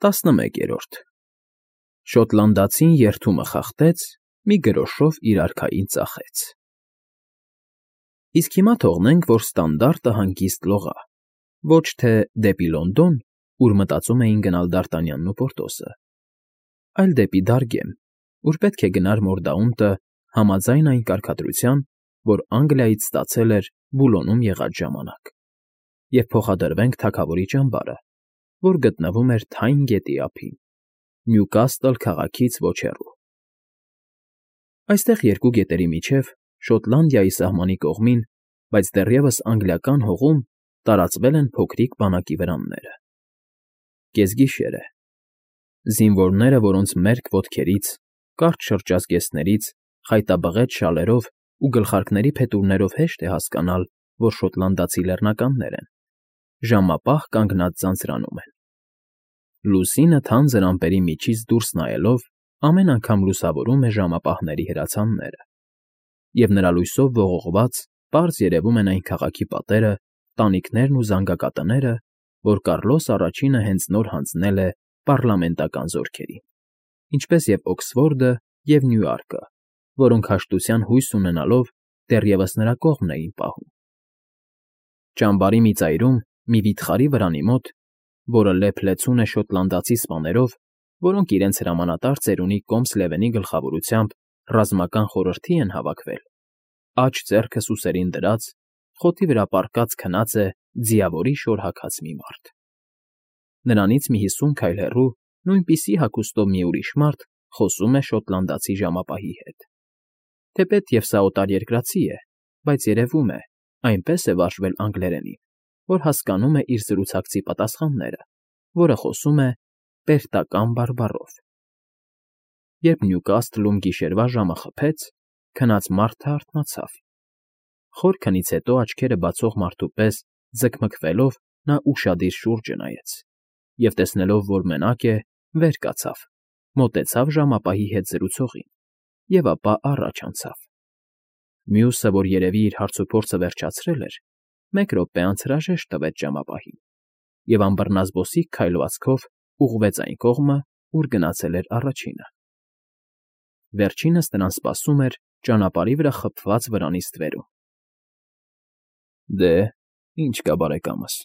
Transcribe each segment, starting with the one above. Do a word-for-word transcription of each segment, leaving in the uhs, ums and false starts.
տասնմեկերորդ Շոտլանդացին երդումը խախտեց, մի գրոշով իր արքային ծախեց։ Իսկ հիմա թողնենք, որ ստանդարտը հանգիստ լողա, ոչ թե դեպի Լոնդոն, ուր մտածում էին գնալ Դարտանյանն ու Պորտոսը, այլ դեպի Դարգեմ, ուր պետք է գնար Մորդաունտը համաձայն այն կարգադրության, որ Անգլիայից ստացել էր Բուլոնում եղած ժամանակ, և փոխադրվենք թագավորի ճամբարը, որ գտնվում էր Թայն գետի ափին, Նյուկաստլ քաղաքից ոչ հեռու։ Այստեղ երկու գետերի միջև, Շոտլանդիայի սահմանի կողմին, բայց դեռևս անգլիական հողում տարածվել են փոքրիկ բանակի վրանները։ Կեսգիշեր է։ Զինվորները, որոնց մերկ ոտքերից, կարճ շրջազգեստներից, խայտաբղետ շալերով ու գլխարկների փետուրներով հեշտ է հասկանալ, որ շոտլանդացի լեռնականներ են, ժամապահ կանգնած ձանձրանում են։ Լուսինը թանձր ամպերի միջից դուրս նայելով ամեն անգամ լուսավորում է ժամապահների հրացանները, և նրա լույսով ողողված պարզ երևում են այն քաղաքի պատերը, տանիքներն ու զանգակատները, որ Կառլոս Առաջինը հենց նոր հանձնել է պառլամենտական զորքերին, ինչպես և Օքսֆորդը և Նյուարկը, որոնք հաշտության հույս ունենալով դեռևս նրա կողմն էին պահում։ Ճամբարի մի ծայրում, մի վիթխարի վրանի մոտ, որը լեփ֊լեցուն է շոտլանդացի սպաներով, որոնք իրենց հրամանատար ծերունի Կոմս Լևենի գլխավորությամբ ռազմական խորհրդի են հավաքվել, աջ ձեռքը սուսերին դրած, խոտի վրա պառկած քնած է ձիավորի շոր հագած մի մարդ։ Նրանից մի հիսուն քայլ հեռու նույնպիսի հագուստով մի ուրիշ մարդ խոսում է շոտլանդացի ժամապահի հետ։ Թեպետ և սա օտարերկրացի է, բայց երևում է, այնպես է վարժվել անգլերենին, որ հասկանում է իր զրուցակցի պատասխանները, որը խոսում է պերտական բարբառով։ Երբ Նյուկասթլում գիշերվա ժամը խփեց, քնած մարդը արթնացավ։ Խոր քնից հետո աչքերը բացող մարդու պես ձգմգվելով նա ուշադիր շուրջը նայեց և, տեսնելով, որ մենակ է, վեր կացավ, մոտեցավ ժամապահի հետ զրուցողին և ապա առաջ անցավ։ Մյուսը, որ երևի իր հարցուփորձը վերջացրել էր, մեկ րոպե անց հրաժեշտ տվեց ժամապահին և անբռնազբոսիկ քայլվածքով ուղղվեց այն կողմը, ուր գնացել էր առաջինը։ Վերջինս նրան սպասում էր ճանապարհի վրա խփված վրանի ստվերում։ ֊ Դե, ինչ կա, բարեկամս,֊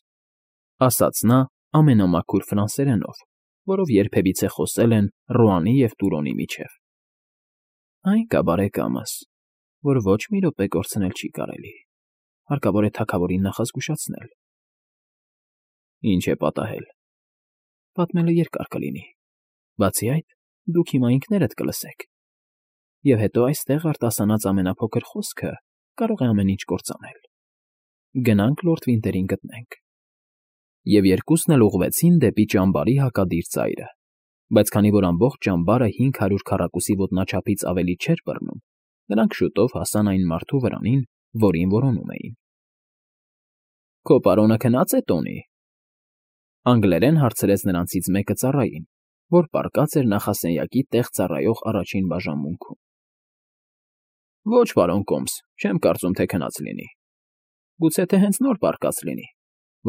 ասաց նա ամենամաքուր ֆրանսերենով, որով երբևիցե խոսել են Ռոանի և Տուրոնի միջև։ ֊ Այն կա, բարեկամս, որ ոչ մի րոպե կորցնել չի կարելի, հարկավոր է թագավորին նախազգուշացնել։ ֊ Ի՞նչ է պատահել։ ֊ Պատմելը երկար կլինի, բացի այդ, դուք հիմա ինքներդ կլսեք, և հետո այստեղ արտասանած ամենափոքր խոսքը կարող է ամեն ինչ կործանել։ Գնանք լորդ Վինտերին գտնենք։ Եվ երկուսն էլ ուղղվեցին դեպի ճամբարի հակադիր ծայրը, բայց քանի որ ամբողջ ճամբարը հինգ հարյուր քառակուսի ոտնաչափից ավելի չէր բռնում, նրանք շուտով հասան այն մարդու վրանին, որին որոնում էին։ ֊ Քո պարոնը քնա՞ծ է, Տոնի,֊ անգլերեն հարցրեց նրանցից մեկը ծառային, որ պառկած էր նախասենյակի տեղ ծառայող առաջին բաժանմունքում։ ֊ Ոչ, պարոն Կոմս, չեմ կարծում, թե քնած լինի։ Գուցե թե հենց նոր պառկած լինի,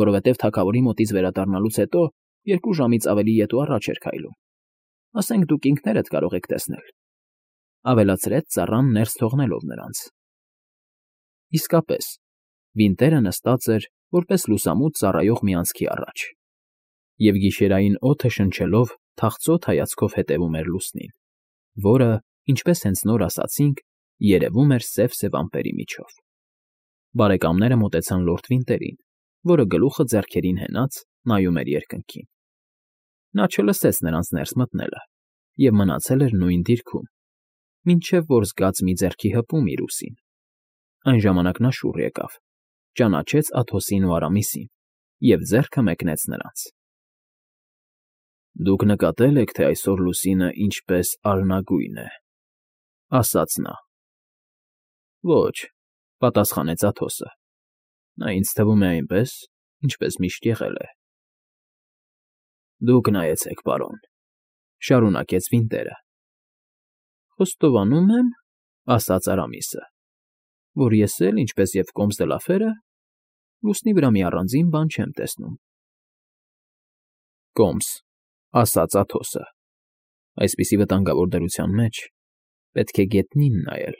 որովհետև թագավորի մոտից վերադառնալուց հետո երկու ժամից ավելի ետ ու առաջ էր քայլում։ Ասենք դուք ինքներդ կարող եք տեսնել,֊ ավելացրեց ծառան ներս թողնելով նրանց։ Իսկապես, Վինտերը նստած էր որպես լուսամուտ ծառայող մի անցքի առաջ, և գիշերային օդը շնչելով թախծոտ հայացքով հետևում էր լուսնին, որը, ինչպես հենց նոր ասացինք, երևում էր սև֊սև ամպերի միջով։ Բարեկամները մոտեցան լորդ Վինտերին, որը գլուխը ձեռքերին հենած նայում էր երկնքին։ Նա չլսեց նրանց ներս մտնելը և մնացել էր նույն դիրքում, մինչև որ զգաց մի ձեռքի հպում իր ուսին։ Այն ժամանակ նա շուռ եկավ, ճանաչեց Աթոսին ու Արամիսին և ձեռքը մեկնեց նրանց։ ֊ Դուք նկատել եք, թե այսօր լուսինը ինչպես արյունագույն է,֊ ասաց նա։ ֊ Ոչ,֊ պատասխանեց Աթոսը,֊ նա ինձ թվում է այնպես, ինչպես միշտ եղել է։ ֊ Դուք նայեցեք, պարոն,֊ շարունակեց Վինտերը։ ֊ Խոստովանում եմ,֊ ասաց Արամիսը,֊ որ ես էլ, ինչպես և Կոմս դը Լաֆերը, լուսնի վրա մի առանձին բան չեմ տեսնում։ ֊ Կոմս, ասաց Աթոսը։ Այսպիսի վտանգավոր դրության մեջ պետք է գետնին նայել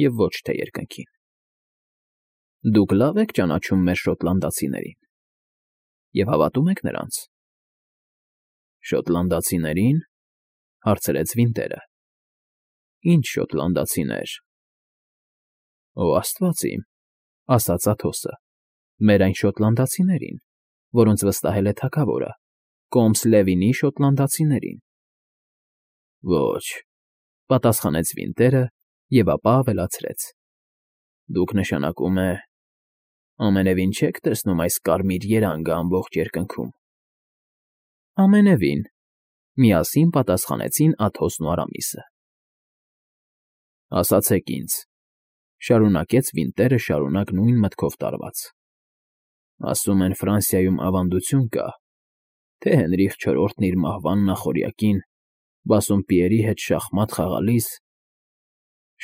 և ոչ թե երկնքին։ Դուք լավ եք ճանաչում մեր շոտլանդացիներին և հավատում եք նրանց։ Շոտլանդացիների՞ն,֊ հարցրեց Վինտերը։ Ինչ շոտլանդացիներ։ Օ աստված իմ,֊ ասաց Աթոսը,֊ մեր այն շոտլանդացիներին, որոնց վստահել է թագավորը, Կոմս Լևինի շոտլանդացիներին։ Ոչ,֊ պատասխանեց Վինտերը և ապա ավելացրեց. Դուք, նշանակում է, ամենևին չեք տեսնում այս կարմիր երանգը ամբողջ երկնքում։ Ամենևին,֊ միասին պատասխանեցին Աթոսն ու Արամիսը։ Ասացեք ինձ,֊ շարունակեց Վինտերը շարունակ նույն մտքով տարված,֊ ասում են Ֆրանսիայում ավանդություն կա, թե Հենրիխ չորրորդն իր մահվան նախօրյակին Բասսոմպիերի հետ շախմատ խաղալիս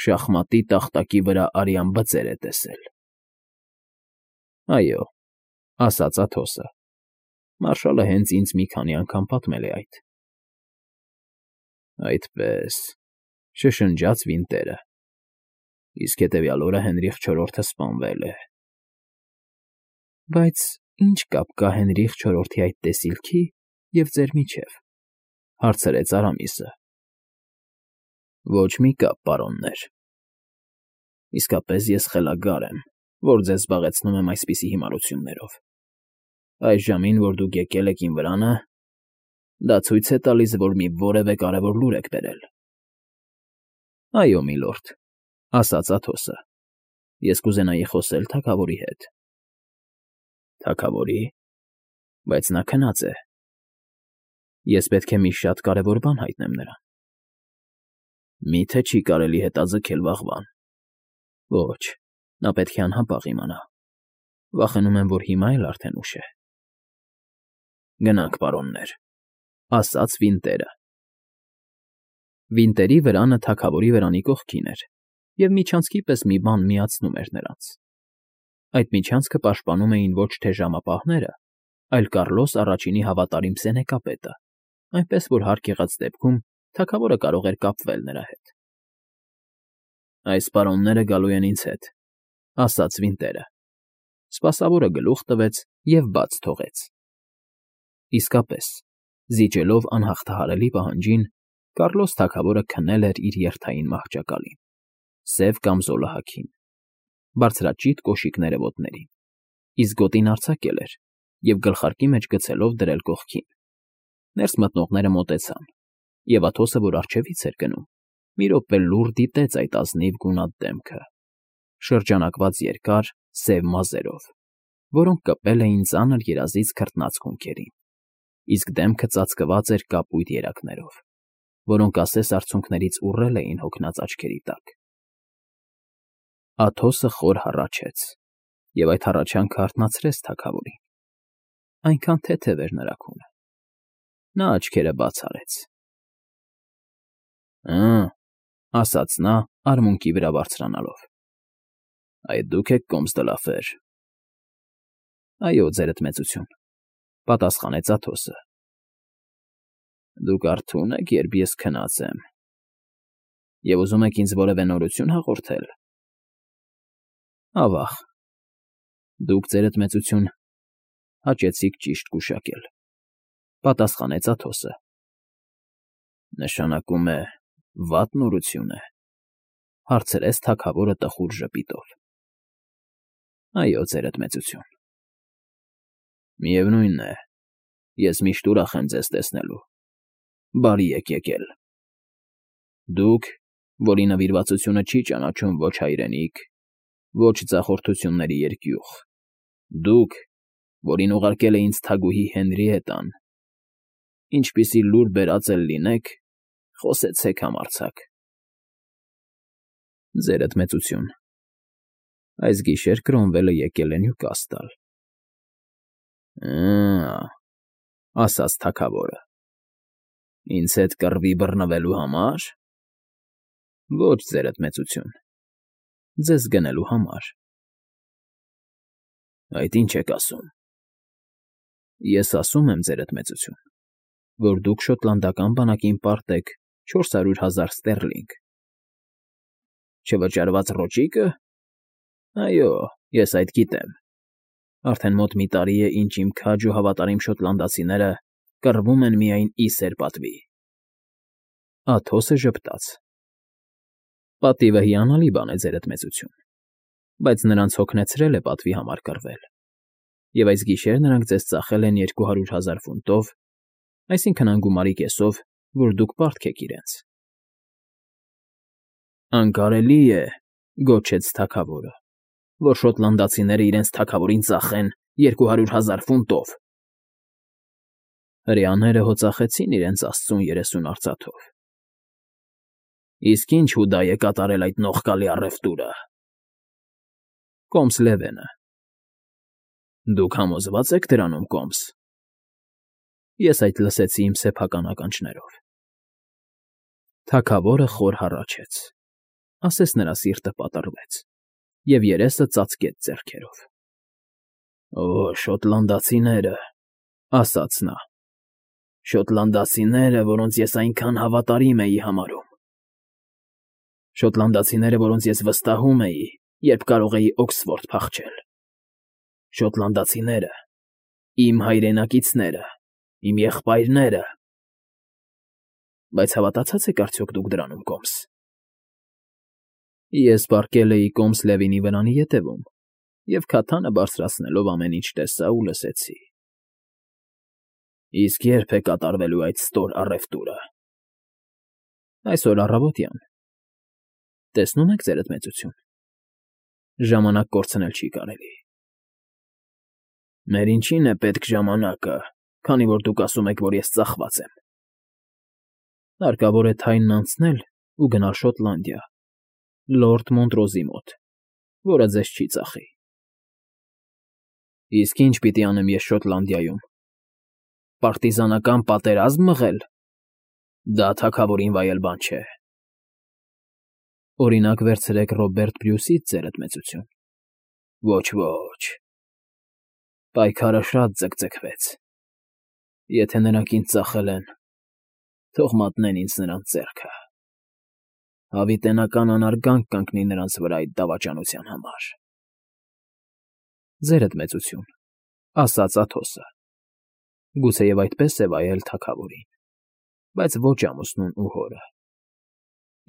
շախմատի տախտակի վրա արյան բծեր է տեսել։ Այո,֊ ասաց Աթոսը,֊ մարշալը հենց ինձ մի քանի անգամ պատմել է այդ։ Այդպե՜ս,֊ շշնջաց Վինտերը,֊ իսկ հետևյալ օրը Հենրիխ չորրորդը սպանվել է։ Բայց ի՞նչ կապ կա Հենրիխ չորրորդի այդ տեսիլքի և ձեր միջև,֊ հարցրեց Արամիսը։ Ոչ մի կապ, պարոններ։ Իսկապես ես խելագար եմ, որ ձեզ զբաղեցնում եմ այսպիսի հիմարություններով։ Այս ժամին, որ դուք եկել եք իմ վրանը, դա ցույց է տալիս, որ մի որևէ կարևոր լուր եք բերել։ Այո, միլորդ,֊ ասաց Աթոսը,֊ ես կուզենայի խոսել թագավորի հետ։ Թագավորի՞, բայց նա քնած է։ Ես պետք է մի շատ կարևոր բան հայտնեմ նրան։ Մի՞թե չի կարելի հետաձգել վաղվան։ Ոչ, նա պետք է անհապաղ իմանա։ Վախենում եմ, որ հիմա էլ արդեն ուշ է։ Գնանք, պարոններ,֊ ասաց Վինտերը։ Վինտերի վրանը թագավորի վրանի կողքին էր, և միջանցքի պես մի բան միացնում էր նրանց։ Այդ միջանցքը պաշտպանում էին ոչ թե ժամապահները, այլ Կառլոս առաջինի հավատարիմ սենեկապետը, այնպես որ հարկ եղած դեպքում թագավորը կարող էր կապվել նրա հետ։ Այս պարոնները գալու են ինձ հետ,֊ ասաց Վինտերը։ Սպասավորը գլուխ տվեց և բաց թողեց։ Իսկապես, զիջելով անհաղթահարելի պահանջին, Կառլոս թագավորը քնել էր իր երթային մահճակալին, սև կամզոլը հագին, բարձրաճիտ կոշիկները ոտներին, իսկ գոտին արձակել էր և գլխարկի մեջ գցելով դրել կողքին։ Ներս մտնողները մոտեցան, և Աթոսը, որ առջևից էր գնում, մի րոպե լուռ դիտեց այդ ազնիվ գունատ դեմքը, շրջանակված երկար սև մազերով, որոնք կպել էին ծանր երազից քրտնած հոնքերին, իսկ դեմքը ծածկված էր կապույտ երակներով, որոնք ասես արցունքներից ուռել էին հոգնած աչքերի տակ։ Աթոսը խոր հառաչեց, և այդ հառաչանքը արթնացրեց թագավորին։ Այնքան թեթև էր նրա քունը։ Նա աչքերը բաց արեց։ Ա՜, ասաց նա, արմունկի վրա բարձրանալով, այդ դուք եք Կոմս դը Լաֆեր։ Այո, ձերդ մեծություն,֊ պատասխանեց Աթոսը։ Դուք արթո՞ւն եք, երբ ես քնած եմ, և ուզում եք ինձ որևէ նորություն հաղորդել։ Ավա՜ղ, դուք, ձերդ մեծություն, հաճեցիք ճիշտ գուշակել,֊ պատասխանեց Աթոսը։ Նշանակում է, վատ նորություն է,֊ հարցրեց թագավորը տխուր ժպիտով։ Այո, ձերդ մեծություն։ Միևնույն է, ես միշտ ուրախ եմ ձեզ տեսնելու։ Բարի եք եկել։ Դուք, որի նվիրվածությունը չի ճանաչում ոչ հայրենիք, ոչ ձախորդությունների երկյուղ, դուք, որին ուղարկել է ինձ թագուհի Հենրիետան, ինչպիսի լուր բերած էլ լինեք, խոսեցեք համարձակ։ Ձերդ մեծություն, այս գիշեր Կրոմվելը եկել է Նյուկաստլ։ Ա՜, ասաց թագավորը, ինձ հետ կռվի բռնվելու համար։ Ոչ, ձերդ մեծություն, ձեզ գնելու համար։ Այդ ի՞նչ եք ասում։ Ես ասում եմ, ձերդ մեծություն, որ դուք շոտլանդական բանակին պարտեք չորս հարյուր հազար ստեռլինգ։ Չվճարված ռոճիկը։ Այո, ես այդ գիտեմ։ Արդեն մոտ մի տարի է, ինչ իմ քաջ ու հավատարիմ շոտլանդացիները կռվում են միայն իսեր պատվի։ Աթոսը ժպտաց։ Պատիվը հիանալի բան է, ձերդ մեծություն, բայց նրանց հոգնեցրել է պատվի համար կռվել, և այս գիշեր նրանք ձեզ ծախել են երկու հարյուր հազար ֆունտով, այսինքն անգումարի կեսով, որ դուք պարտք եք իրենց։ Անկարելի է, գոչեց թագավորը, որ շոտլանդացիները իրենց թագավորին ծախեն երկու հարյուր հազար ֆունտով։ Հրեաները հո ծախեցին իրենց աստծուն երեսուն արծաթով։ Իսկ ինչ հուդա է կատարել այդ նողկալի առևտուրը։ Կոմս Լևենը։ Դուք համոզվա՞ծ եք դրանում, Կոմս։ Ես այդ լսեցի իմ սեփական ականջներով։ Թագավորը խոր հառաչեց, ասես նրա սիրտը պատռվեց, և երեսը ծածկեց ձեռքերով։ Օ, շոտլանդացիները, ասաց նա, շոտլանդացիները, որոնց ես այնքան հավատարիմ էի համարում։ Շոտլանդացիները, որոնց ես վստահում էի, երբ կարող էի Օքսֆորդ փախչել։ Շոտլանդացիները, իմ հայրենակիցները, իմ եղբայրները։ Բայց հավատացած եք արդյոք դուք դրանում, Կոմս։ Ես պառկել էի Կոմս Լևինի վրանի ետևում և քաթանը բարձրացնելով ամեն ինչ տեսա ու լսեցի։ Իսկ ե՞րբ է կատարվելու այդ ստոր առևտուրը։ Այսօր առավոտյան։ Տեսնում եք, ձերդ մեծություն, ժամանակ կորցնել չի կարելի։ Մեր ինչին է պետք ժամանակը, քանի որ դուք ասում եք, որ ես ծախված եմ։ Հարկավոր է Թայնն անցնել ու գնալ Շոտլանդիա, լորդ Մոնտրոզի մոտ, որը ձեզ չի ծախի։ Իսկ ինչ պիտի անեմ ես Շոտլանդիայում։ Պարտիզանական պատերազմ մղել։ Դա թագավորին վայել բան չէ։ Օրինակ վերցրեք Ռոբերտ Բրյուսից, ձերդ մեծություն։ Ոչ, ոչ։ Պայքարը շատ ձգձգվեց։ Եթե նրանք ինձ ծախել են, թող մատնեն ինձ նրանց ձեռքը։ Հավիտենական անարգանք կընկնի նրանց վրա այդ դավաճանության համար։ Ձերդ մեծություն, ասաց Աթոսը, գուցեև այդպես է վայել թագավորին, բայց ոչ ամուսնուն ու հորը։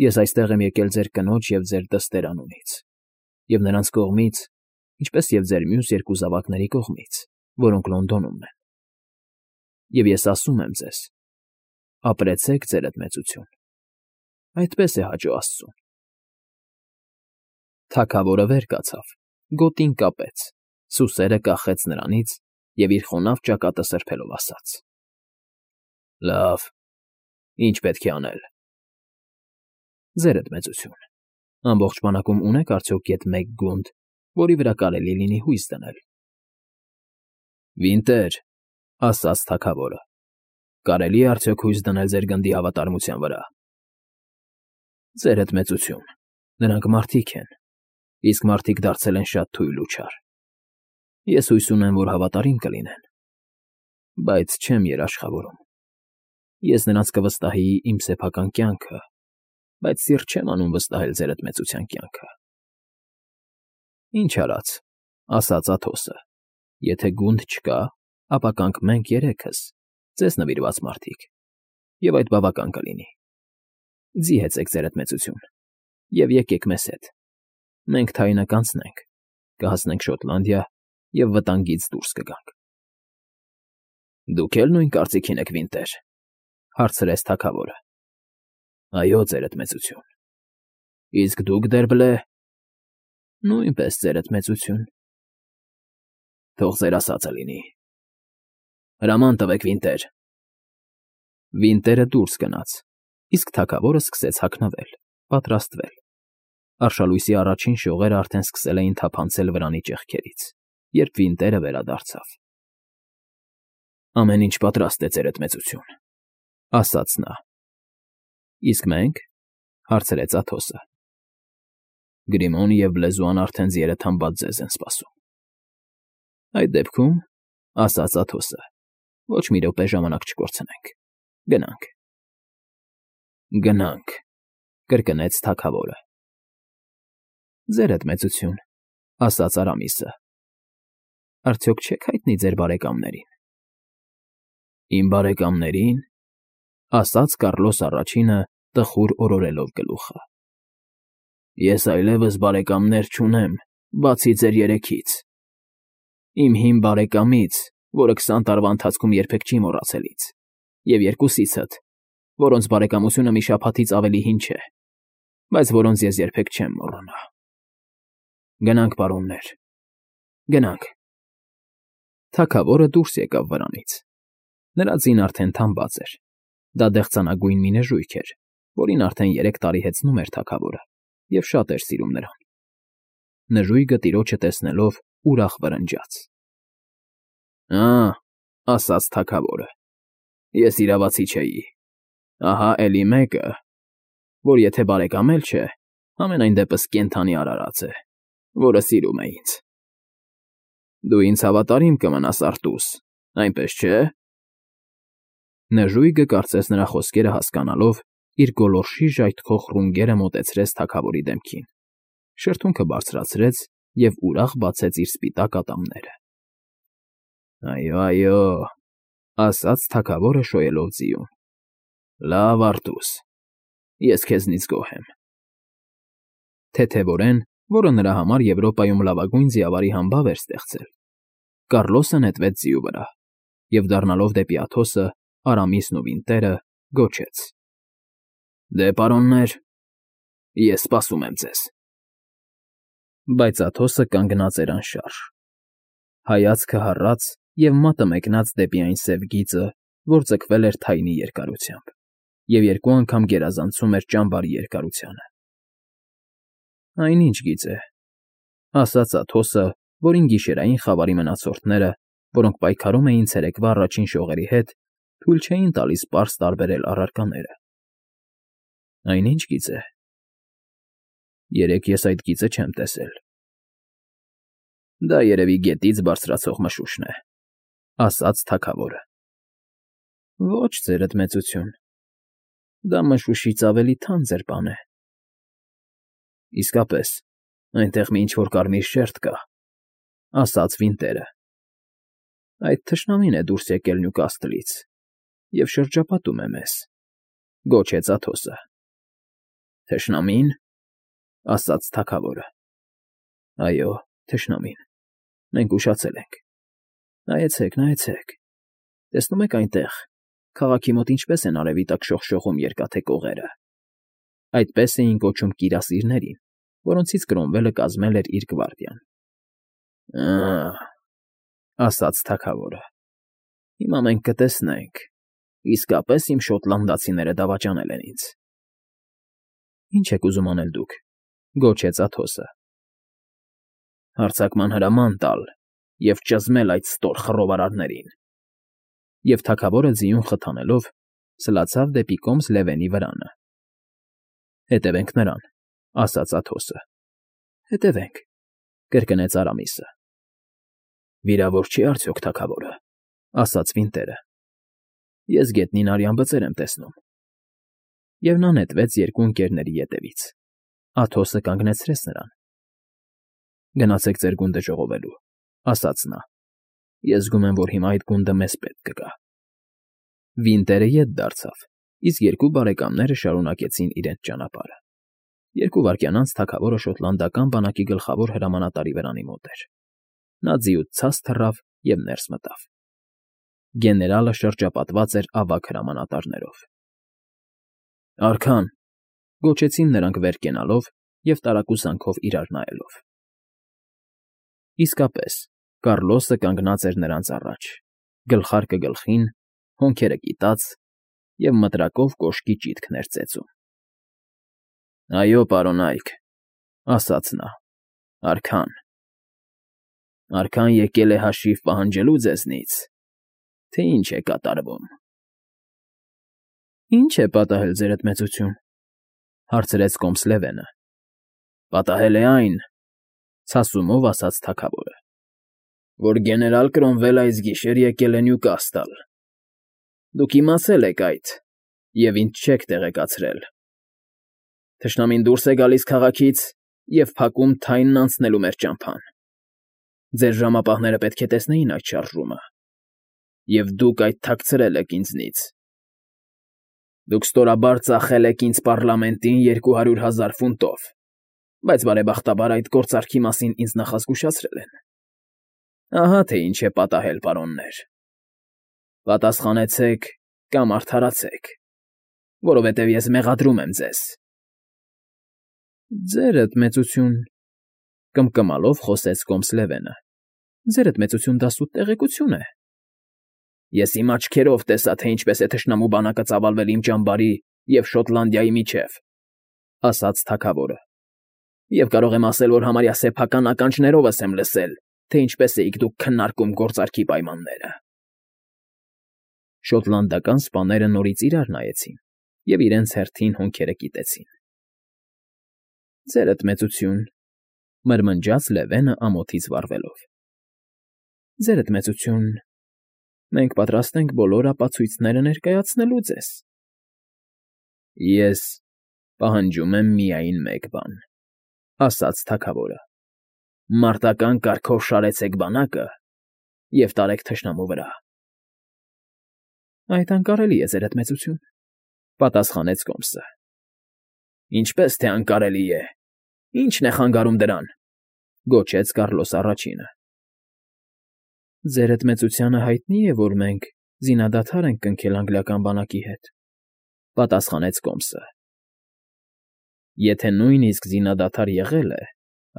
Ես այստեղ եմ եկել ձեր կնոջ և ձեր դստեր անունից, և նրանց կողմից, ինչպես և ձեր մյուս երկու զավակների կողմից, որոնք Լոնդոնում են։ Եվ ես ասում եմ ձեզ. ապրեցեք, ձերդ մեծություն, այդպես է հաճո աստծուն։ Թագավորը վեր կացավ, գոտին կապեց, սուսերը կախեց նրանից և իր խոնավ ճակատը սրբելով ասաց. Լավ, ի՞նչ պետք է անել։ Ձերդ մեծություն, ամբողջ բանակում ունեք արդյոք գեթ մեկ գունդ, որի վրա կարելի լինի հույս դնել։ Վինտեր, ասաց թագավորը, կարելի է արդյոք հույս դնել ձեր գնդի հավատարմության վրա։ Ձերդ մեծություն, նրանք մարդիկ են, իսկ մարդիկ դարձել են շատ թույլ ու չար։ Ես հույս ունեմ, որ հավատարիմ կլինեն, բայց չեմ երաշխավորում։ Ես նրանց կվստահեի իմ սեփական կյանքը, բայց սիրտ չեմ անում վստահել ձերդ մեծության կյանքը։ Ինչ արած, ասաց Աթոսը, եթե գունդ չկա, ապա կանք մենք երեքս, ձեզ նվիրված մարդիկ, և այդ բավական կլինի։ Ձի հեծեք, ձերդ մեծություն, և եկեք մեզ հետ։ Մենք Թայնը կանցնենք, կհասնենք Շոտլանդիա և վտանգից դուրս կգանք։ Դուք էլ նույն կարծիքին եք, Վինտեր, հարցրեց թագավորը։ Այո, ձերդ մեծություն։ Իսկ դուք, Դերբլե։ Նույնպես, ձերդ մեծություն։ Թող ձեր ասածը լինի։ Հրաման տվեք, Վինտեր։ Վինտերը դուրս գնաց, իսկ թագավորը սկսեց հագնվել, պատրաստվել։ Արշալույսի առաջին շողերը արդեն սկսել էին թափանցել վրանի ճեղքերից, երբ Վինտերը վերադարձավ։ Ամեն ինչ պատրաստ է, ձերդ մեծություն, ասաց նա։ Իսկ մենք, հարցրեց Աթոսը։ Գրիմոն և Բլեզուան արդեն ձիերը թամբած ձեզ են սպասում։ Այդ դեպքում, ասաց Աթոսը, ոչ մի րոպե ժամանակ չկորցնենք։ Գնանք։ Գնանք,֊ կրկնեց թագավորը։ Ձերդ մեծություն,֊ ասաց Արամիսը։ Արդյոք չեք հայտնի ձեր բարեկամներին։ Իմ բարեկամների՞ն,֊ ասաց Կառլոս առաջինը տխուր օրորելով գլուխը։ Ես այլևս բարեկամներ չունեմ, բացի ձեր երեքից։ Իմ հին բարեկամից, որը քսան տարվա ընթացքում երբեք չի մոռացել ինձ, և երկուսիցդ, որոնց բարեկամությունը մի շաբաթից ավելի հին չէ, բայց որոնց ես երբեք չեմ մոռանա։ Գնանք, պարոններ, գնանք։ Թագավորը դուրս եկավ վրանից։ Նրա ձին արդեն թամբած էր։ Դա դեղցանագույն մի նժույգ էր, որին արդեն երեք տարի հեծնում էր թագավորը, և շատ էր սիրում նրան։ Նժույգը տիրոջը տեսնելով ուրախ վռնջաց։ Ա՛, ասաց թագավորը, ես իրավացի չէի։ Ահա էլի մեկը, որ եթե բարեկամ էլ չէ, համենայն դեպս կենդանի արարած է, որը սիրում է ինձ։ Դու ինձ հավատարիմ կմնաս, Արտուս, այնպես չէ՞։ Նժույգը, կարծես նրա խոսքերը հասկանալով, իր գոլորշի ժայթքող ռունգերը մոտեցրեց թագավորի դեմքին, շրթունքը բարձրացրեց և ուրախ բացեց իր սպիտակ ատամները։ Այո, այո, ասաց թագավորը շոյելով ձիուն։ Լավ, Արտուս, ես քեզնից գոհ եմ։ Թեթևորեն, որը նրա համար Եվրոպայում լավագույն ձիավարի համբավ էր ստեղծել, Կառլոսը նետվեց ձիու վրա և, դառնալով դեպի Աթոսը, Արամիսն ու վինտերը, գոչեց. Դե, պարոններ, ես սպասում եմ ձեզ։ Բայց Աթոսը կանգնած էր անշարժ։ Հայացքը հառած և մատը մեկնած դեպի այն սև գիծը, որ ձգվել էր թայնի երկարությամբ, և երկու անգամ գերազանցում էր ճամբարի երկարությանը։ Այն ի՞նչ գիծ է,֊ ասաց Աթոսը, որին գիշերային խավարի մնացորդները, որոնք պայքարում էին ցերեկվա առաջին շողերի հետ, թույլ չէին տալիս պարզ տարբերել առարկաները։ Այն ի՞նչ գիծ է։ Երեկ ես այդ գիծը չեմ տեսել։ Դա երևի գետից բարձրացող մշուշն է,֊ ասաց թագավորը։ Ոչ, ձերդ մեծություն, դա մշուշից ավելի թանձր բան է։ Իսկապես, այնտեղ մի ինչ֊որ կարմիր շերտ կա,֊ ասաց Վինտերը։ Այդ թշնամին է դուրս եկել Նյուկասլից և շրջապատում է մեզ,֊ գոչեց Աթոսը։ Թշնամի՞ն,֊ ասաց թագավորը։ Այո, թշնամին, մենք ուշացել ենք։ Նայեցեք, նայեցեք, տեսնում եք այնտեղ, քաղաքի մոտ ինչպես են արևի տակ շողշողում երկաթե կողերը։ Այդպես էին կոչում կիրասիրներին, որոնցից Կրոմվելը կազմել էր իր գվարդիան։ Ա՛, ասաց թագավորը, հիմա մենք կտեսնենք, իսկապես իմ շոտլանդացիները դավաճանել են ինձ։ Ինչ եք ուզում անել դուք,֊ գոչեց Աթոսը։ Հարձակման հրաման տալ և ճզմել այդ ստոր խռովարարներին։ Եվ թագավորը ձիուն խթանելով, սլացավ դեպի կոմս Լևենի վրանը։ Հետևենք նրան,֊ ասաց Աթոսը։ Հետևենք,֊ կրկնեց Արամիսը։ Վիրավոր չի արդյոք թագավորը,֊ ասաց Վինտերը։ Ես գետնին արյան բծեր եմ տեսնում։ Եվ նա նետվեց երկու ընկերների ետևից։ Աթոսը կանգնեցրեց նրան։ Գնացեք ձեր գունդը ժողովելու,֊ ասաց նա։ Ես զգում եմ, որ հիմա այդ գունդը մեզ պետք կգա։ Վինտերը ետ դարձավ, իսկ երկու բարեկամները շարունակեցին իրենց ճանապարհը։ Երկու վայրկյան անց թագավորը շոտլանդական բանակի գլխավոր հրամանատարի վրանի մոտ էր։ Նա ձիուց ցած թռավ և ներս մտավ։ Գեներալը շրջապատված էր ավագ հրամանատարներով։ Արքա՛ն,֊ գոչեցին նրանք վեր կենալով և տարակուսանքով իրար նայելով։ Իսկապես, Կառլոսը կանգնած էր նրանց առաջ, գլխարկը գլխին, հոնքերը կիտած և մտրակով կոշկի ճիտքն էր ծեծում։ Այո, պարոնայք,֊ ասաց նա,֊ արքան։ Արքան եկել է հաշիվ պահանջելու ձեզնից, թե ինչ է կատարվում։ Ի՞նչ է պատահել, ձերդ մեծություն,֊ հարցրեց կոմս Լևենը։ Պատահել է այն,֊ ցասումով ասաց թագավորը, որ գեներալ Կրոմվելը այս գիշեր եկել է Նյուկասլ։ Դուք իմացել եք այդ և ինձ չեք տեղեկացրել։ Թշնամին դուրս է գալիս քաղաքից և փակում Թայնն անցնելու մեր ճամփան։ Ձեր ժամապահները պետք է տեսնեին այդ շարժումը, և դուք այդ թաքցրել եք ինձնից։ Դուք ստորաբար ծախել եք ինձ պառլամենտին երկու հարյուր հազար ֆունտով, բայց բարեբախտաբար այդ գործարքի մասին ինձ նախազգուշացրել են։ Ահա թե ինչ է պատահել, պարոններ։ Պատասխանեցեք կամ արդարացեք, որովհետև ես մեղադրում եմ ձեզ։ Ձերդ մեծություն,֊ կմկմալով խոսեց կոմս Լևենը,֊ ձերդ մեծություն դա սուտ տեղեկություն է։ Ես իմ աչքերով տեսա, թե ինչպես է թշնամու բանակը ծավալվել իմ ճամբարի և Շոտլանդիայի միջև,֊ ասաց թագավորը,֊ և կարող եմ ասել, որ համարյա սեփական ականջներովս եմ լսել, թե ինչպես էիք դուք քննարկում գործարքի պայմանները։ Շոտլանդական սպաները նորից իրար նայեցին և իրենց հերթին հոնքերը կիտեցին։ Ձերդ մեծություն,֊ մրմնջաց Լևենը ամոթից վառվելով,֊ ձերդ մեծություն, մենք պատրաստ ենք բոլոր ապացույցները ներկայացնելու ձեզ։ Ես պահանջում եմ միայն մեկ բան,֊ ասաց թագավորը,֊ մարտական կարգով շարեցեք բանակը և տարեք թշնամու վրա։ Այդ անկարելի է, ձերդ մեծություն,֊ պատասխանեց կոմսը։ Ինչպես թե անկարելի է, ի՞նչն է խանգարում դրան,֊ գոչեց Կառլոս առաջինը։ Ձերդ մեծությանը հայտնի է, որ մենք զինադադար ենք կնքել անգլիական բանակի հետ,֊ պատասխանեց կոմսը։ Եթե նույնիսկ զինադադար եղել է,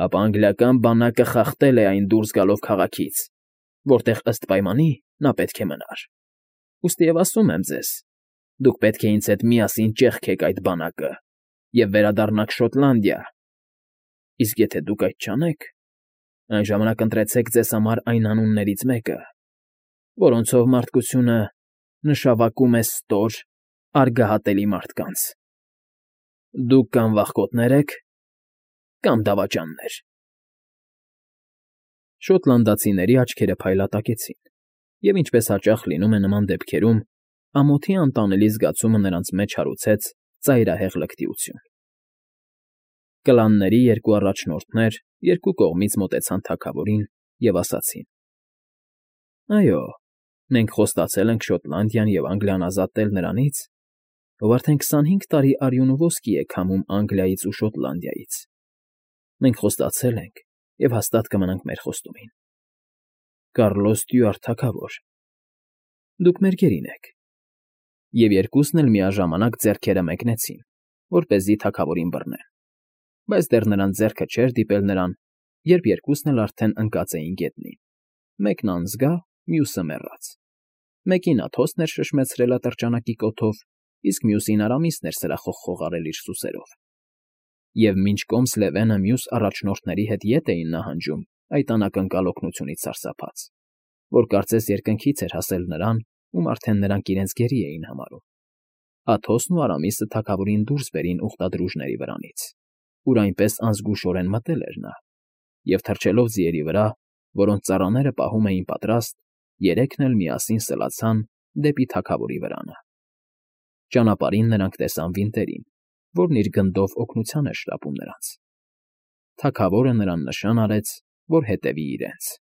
ապա անգլիական բանակը խախտել է այն դուրս գալով քաղաքից, որտեղ ըստ պայմանի նա պետք է մնար։ Ուստի և ասում եմ ձեզ. դուք պետք է ինձ հետ միասին ճեղքեք այդ բանակը և վերադառնաք Շոտլանդիա, իսկ եթե դուք այդ չանեք, այն ժամանակ ընտրեցեք ձեզ համար այն անուններից մեկը, որոնցով մարդկությունը նշավակում է ստոր, արգահատելի մարդկանց. դուք կամ վախկոտներ եք, կամ դավաճաններ։ Շոտլանդացիների աչքերը փայլատակեցին, և ինչպես հաճախ լինում է նման դեպքերում, ամոթի անտանելի զգացումը նրանց մեջ հարուցեց ծայրահեղ լկտիություն։ Կլանների երկու առաջնորդներ երկու կողմից մոտեցան թագավորին և ասացին. Այո, մենք խոստացել ենք Շոտլանդիան և Անգլիան ազատել նրանից, ով արդեն քսանհինգ տարի արյուն ու ոսկի է քամում Անգլիայից ու Շոտլանդիայից։ Մենք խոստացել ենք և հաստատ կմնանք մեր խոստումին։ Կառլոս Ստյուարտ թագավոր, դուք մեր գերին եք։ Եվ երկուսն էլ միաժամանակ ձեռքերը մեկնեցին, որպեսզի թագավորին բռնեն, բայց դեռ նրանց ձեռքը չէր դիպել նրան, երբ երկուսն էլ արդեն ընկած էին գետնին, մեկն անզգա, մյուսը մեռած։ Մեկին Աթոսն էր շշմեցրել ատրճանակի կոթով, իսկ մյուսին Արամիսն էր սրախով խողարել իր սուսերով։ Եվ մինչ կոմս Լևենը մյուս առաջնորդների հետ ետ էին նահանջում այդ անակնկալ օգնությունից սարսափած, որ կարծես երկնքից էր հասել նրան, ում արդեն նրանք իրենց գերի էին համարում, Աթոսն ու Արամիսը թագավորին դուրս բերին ուխտադրուժների վրանից, ուր այնպես անզգուշորեն մտել էր նա, և թռչելով ձիերի վրա, որոնց ծառաները պահում էին պատրաստ, երեքն էլ միասին սլացան դեպի թագավորի վրանը։ Ճանապարհին նրանք տեսան Վինտերին, որն իր գնդով օգնության էր շտապում նրանց։ Թագավորը նրան նշան արեց, որ հետևի իրենց։